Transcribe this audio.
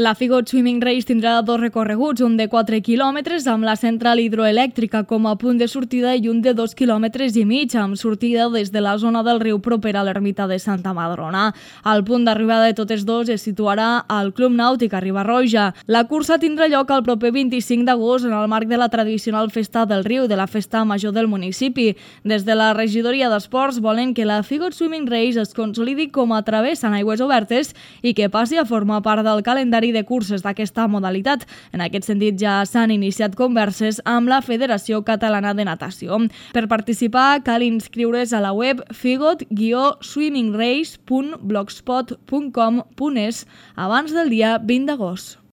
La Figot Swimming Race tindrà dos recorreguts, un de 4 quilòmetres amb la central hidroelèctrica com a punt de sortida i un de 2,5 quilòmetres amb sortida des de la zona del riu propera a l'ermita de Santa Madrona. El punt d'arribada de totes dos es situarà al Club Nàutic a Riba-roja. La cursa tindrà lloc el proper 25 d'agost en el marc de la tradicional Festa del Riu, de la festa major del municipi. Des de la regidoria d'Esports volen que la Figot Swimming Race es consolidi com a travessa en aigües obertes i que passi a formar part del calendari de curses d'aquesta modalitat. En aquest sentit ja s'han iniciat converses amb la Federació Catalana de Natació. Per participar cal inscriure's a la web figot-swimmingrace.blogspot.com.es abans del dia 20 d'agost.